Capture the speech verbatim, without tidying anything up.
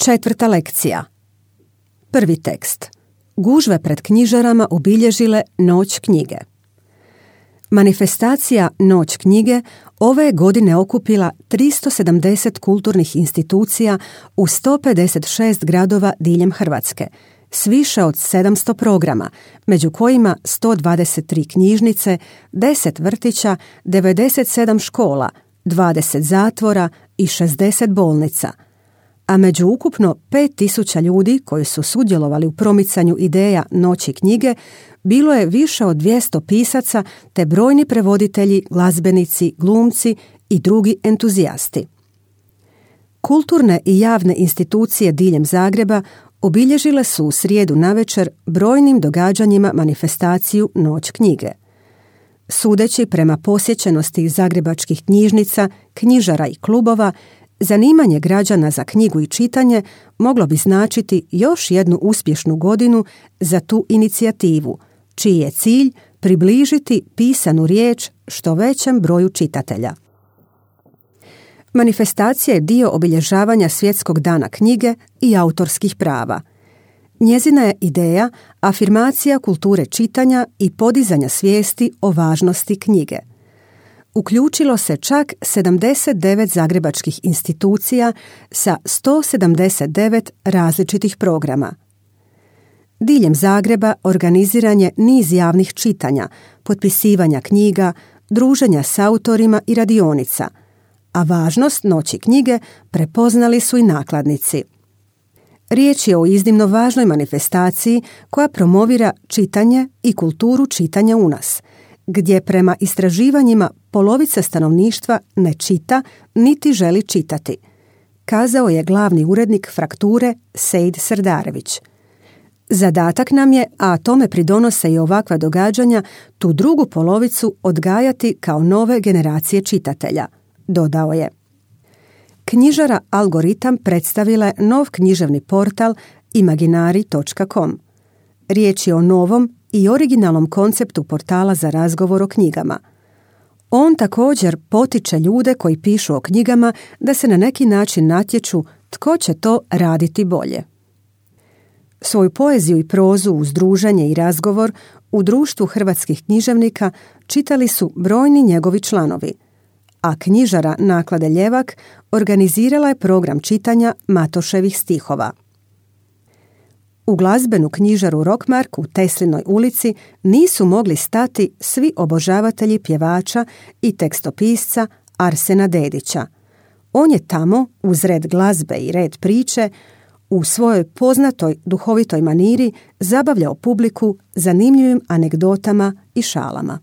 Četvrta lekcija. Prvi tekst. Gužve pred knjižarama obilježile Noć knjige. Manifestacija Noć knjige ove je godine okupila tristo sedamdeset kulturnih institucija u sto pedeset šest gradova diljem Hrvatske, s više od sedamsto programa, među kojima sto dvadeset tri knjižnice, deset vrtića, devedeset sedam škola, dvadeset zatvora i šezdeset bolnica. A među ukupno pet tisuća ljudi koji su sudjelovali u promicanju ideja Noći knjige bilo je više od dvjesto pisaca te brojni prevoditelji, glazbenici, glumci i drugi entuzijasti. Kulturne i javne institucije diljem Zagreba obilježile su u srijedu navečer brojnim događanjima manifestaciju Noć knjige. Sudeći prema posjećenosti zagrebačkih knjižnica, knjižara i klubova, zanimanje građana za knjigu i čitanje moglo bi značiti još jednu uspješnu godinu za tu inicijativu, čiji je cilj približiti pisanu riječ što većem broju čitatelja. Manifestacija je dio obilježavanja Svjetskog dana knjige i autorskih prava. Njezina je ideja afirmacija kulture čitanja i podizanja svijesti o važnosti knjige. Uključilo se čak sedamdeset devet zagrebačkih institucija sa sto sedamdeset devet različitih programa. Diljem Zagreba organiziran je niz javnih čitanja, potpisivanja knjiga, druženja s autorima i radionica, a važnost Noći knjige prepoznali su i nakladnici. Riječ je o iznimno važnoj manifestaciji koja promovira čitanje i kulturu čitanja u nas, gdje prema istraživanjima polovica stanovništva ne čita niti želi čitati, kazao je glavni urednik Frakture Sejd Srdarević. Zadatak nam je, a tome pridonose i ovakva događanja, tu drugu polovicu odgajati kao nove generacije čitatelja, dodao je. Knjižara Algoritam predstavila je nov književni portal imaginari točka com. Riječ je o novom i originalnom konceptu portala za razgovor o knjigama. On također potiče ljude koji pišu o knjigama da se na neki način natječu tko će to raditi bolje. Svoju poeziju i prozu uz druženje i razgovor u društvu hrvatskih književnika čitali su brojni njegovi članovi, a knjižara Naklade Ljevak organizirala je program čitanja Matoševih stihova. U glazbenu knjižaru Rockmark u Teslinoj ulici nisu mogli stati svi obožavatelji pjevača i tekstopisca Arsena Dedića. On je tamo, uz red glazbe i red priče, u svojoj poznatoj duhovitoj maniri zabavljao publiku zanimljivim anegdotama i šalama.